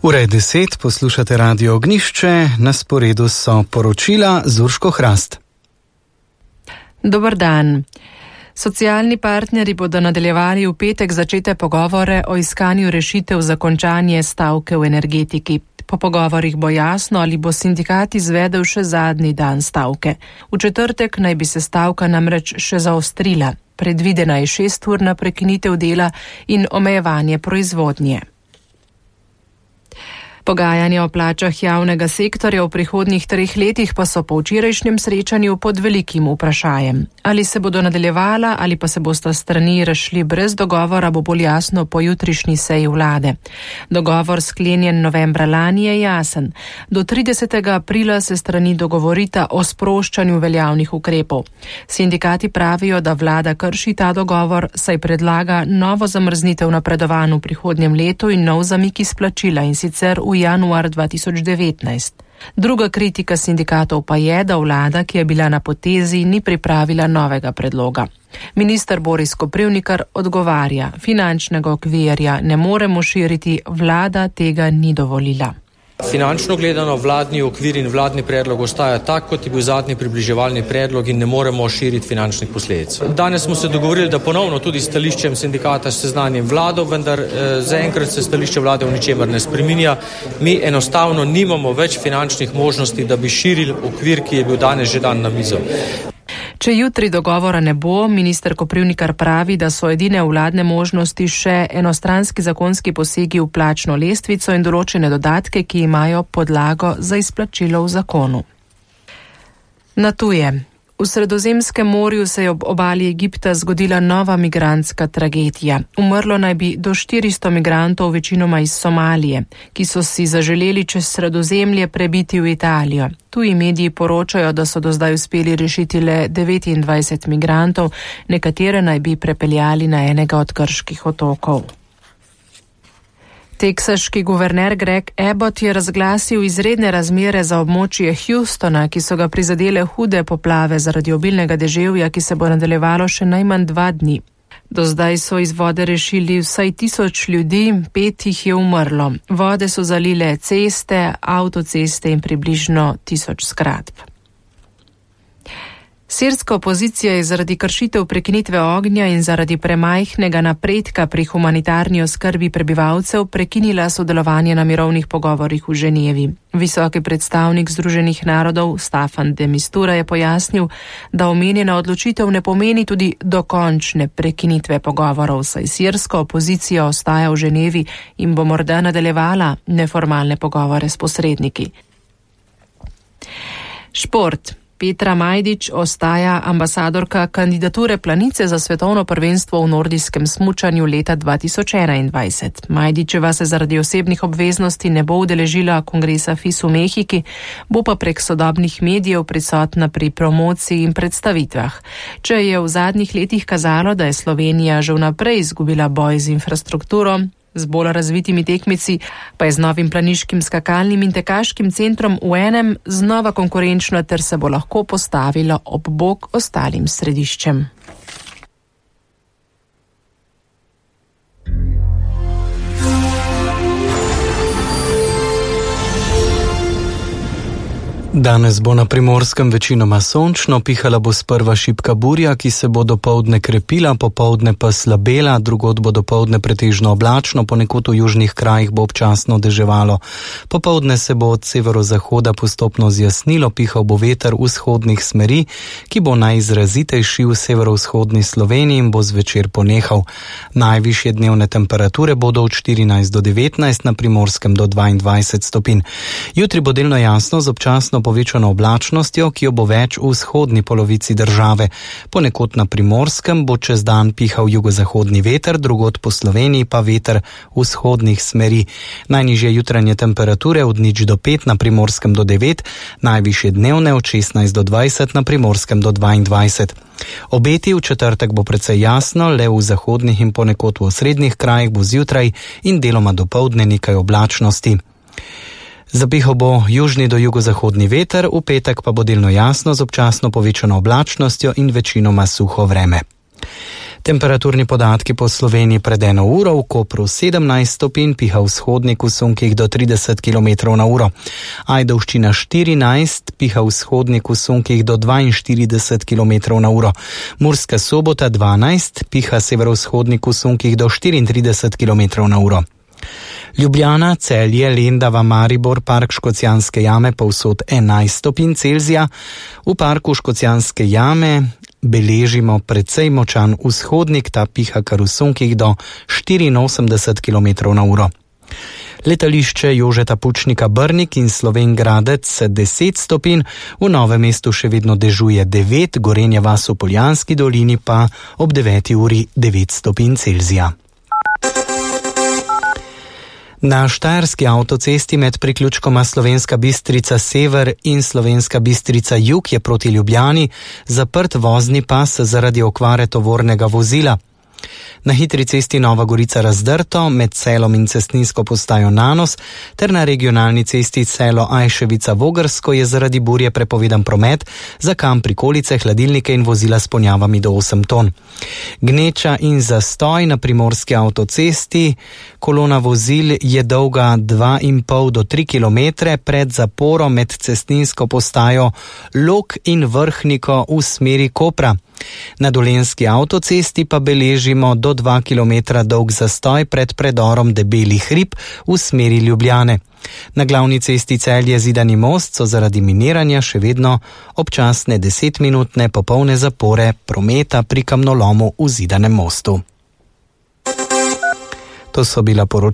Ura je 10, poslušate Radio Ognjišče, na sporedu so poročila z Urško Hrast. Dober dan. Socialni partnerji bodo nadaljevali v petek začete pogovore o iskanju rešitev za končanje stavke v energetiki. Po pogovorih bo jasno, ali bo sindikat izvedel še zadnji dan stavke. V četrtek naj bi se stavka namreč še zaostrila. Predvidena je 6-urna prekinitev dela in omejevanje proizvodnje. Pogajanja o plačah javnega sektorja v prihodnjih 3 letih pa so po včerajšnjem srečanju pod velikim vprašajem. Ali se bodo nadaljevala ali pa se bosta strani razšli brez dogovora, bo bolj jasno po jutrišnji seji vlade. Dogovor sklenjen novembra lani je jasen. Do 30. aprila se strani dogovorita o sproščanju veljavnih ukrepov. Sindikati pravijo, da vlada krši ta dogovor, saj predlaga novo zamrznitev napredovanj v prihodnjem letu in nov zamik izplačila, in sicer v januar 2019. Druga kritika sindikatov pa je, da vlada, ki je bila na potezi, ni pripravila novega predloga. Minister Boris Koprivnikar odgovarja: finančnega okvirja ne moremo širiti, vlada tega ni dovolila. Finančno gledano vladni okvir in vladni predlog ostaja tak, kot je bil zadnji približevalni predlog, in ne moremo širiti finančnih posledic. Danes smo se dogovorili, da ponovno tudi stališčem sindikata seznanjem vlado, vendar zaenkrat se stališče vlade v ničemer ne spreminja. Mi enostavno nimamo več finančnih možnosti, da bi širili okvir, ki je bil danes že dan na mizo. Če jutri dogovora ne bo, minister Koprivnikar pravi, da so edine vladne možnosti še enostranski zakonski posegi v plačno lestvico in določene dodatke, ki imajo podlago za izplačilo v zakonu. Na tuje. V Sredozemskem morju se je ob obali Egipta zgodila nova migrantska tragedija. Umrlo naj bi do 400 migrantov, večinoma iz Somalije, ki so si zaželeli čez Sredozemlje prebiti v Italijo. Tuji mediji poročajo, da so do zdaj uspeli rešiti le 29 migrantov, nekatere naj bi prepeljali na enega od grških otokov. Teksaški guverner Greg Abbott je razglasil izredne razmere za območje Houstona, ki so ga prizadele hude poplave zaradi obilnega deževja, ki se bo nadaljevalo še najmanj 2 dni. Do zdaj so iz vode rešili vsaj 1000 ljudi, 5 jih je umrlo. Vode so zalile ceste, avtoceste in približno 1000 zgradb. Sirska opozicija je zaradi kršitev prekinitve ognja in zaradi premajhnega napredka pri humanitarni oskrbi prebivalcev prekinila sodelovanje na mirovnih pogovorih v Ženevi. Visoki predstavnik Združenih narodov Staffan de Mistura je pojasnil, da omenjena odločitev ne pomeni tudi dokončne prekinitve pogovorov, saj sirska opozicija ostaja v Ženevi in bo morda nadaljevala neformalne pogovore s posredniki. Šport. Petra Majdič ostaja ambasadorka kandidature Planice za svetovno prvenstvo v nordijskem smučanju leta 2021. Majdičeva se zaradi osebnih obveznosti ne bo udeležila kongresa FIS v Mehiki, bo pa prek sodobnih medijev prisotna pri promociji in predstavitvah. Če je v zadnjih letih kazalo, da je Slovenija že vnaprej izgubila boj z infrastrukturo, z bolj razvitimi tekmici, pa je z novim planiškim skakalnim in tekaškim centrom v enem znova konkurenčna ter se bo lahko postavila ob bok ostalim središčem. Danes bo na Primorskem večinoma sončno, pihala bo sprva šibka burja, ki se bo dopoldne krepila, popoldne pa slabela, drugod bo dopoldne pretežno oblačno, ponekod v južnih krajih bo občasno deževalo. Popoldne se bo od severozahoda postopno zjasnilo, pihal bo veter vzhodnih smeri, ki bo najizrazitejši v severovzhodni Sloveniji in bo zvečer ponehal. Najvišje dnevne temperature bodo od 14 do 19, na Primorskem do 22 stopinj. Jutri bo delno jasno z občasno povečano oblačnostjo, ki jo bo več v vzhodni polovici države. Ponekod na Primorskem bo čez dan pihal jugozahodni veter, drugod po Sloveniji pa veter vzhodnih smeri. Najnižje jutranje temperature od 0 do 5, na Primorskem do 9, najvišje dnevne od 16 do 20, na Primorskem do 22. Obeti v četrtek bo precej jasno, le v zahodnih in ponekod v osrednjih krajih bo zjutraj in deloma dopoldne nekaj oblačnosti. Zapihal bo južni do jugozahodni veter, v petek pa bo delno jasno z občasno povečano oblačnostjo in večinoma suho vreme. Temperaturni podatki po Sloveniji pred 1 uro: v Kopru 17 stopinj, piha vzhodnik v sunkih do 30 km/h. Ajdovščina 14, piha vzhodnik v sunkih do 42 km/h. Murska Sobota 12, piha severovzhodnik v sunkih do 34 km/h. Ljubljana, Celje, Lendava, Maribor, Park Škocjanske jame povsod 11 stopinj Celzija. V parku Škocjanske jame beležimo precej močan vzhodnik, ta piha kar v sunkih do 84 km/h. Letališče Jožeta Pučnika Brnik in Slovenj Gradec 10 stopinj, v Novem mestu še vedno dežuje 9, Gorenja vas v Poljanski dolini pa ob 9 uri 9 stopinj Celzija. Na štajerski avtocesti med priključkoma Slovenska Bistrica Sever in Slovenska Bistrica Jug je proti Ljubljani zaprt vozni pas zaradi okvare tovornega vozila. Na hitri cesti Nova Gorica Razdrto med Celom in cestninsko postajo Nanos ter na regionalni cesti Celo Ajševica Vogrsko je zaradi burje prepovedan promet za kamp, prikolice, hladilnike in vozila s ponjavami do 8 ton. Gneča in zastoj na primorski avtocesti. Kolona vozil je dolga 2,5 do 3 km pred zaporo med cestninsko postajo Log in Vrhniko v smeri Kopra. Na Dolenjski avtocesti pa beležimo do 2 km dolg zastoj pred predorom Debeli hrib v smeri Ljubljane. Na glavni cesti Celje Zidani most so zaradi miniranja še vedno občasne 10-minutne popolne zapore prometa pri kamnolomu v Zidanem mostu. To so bila poročila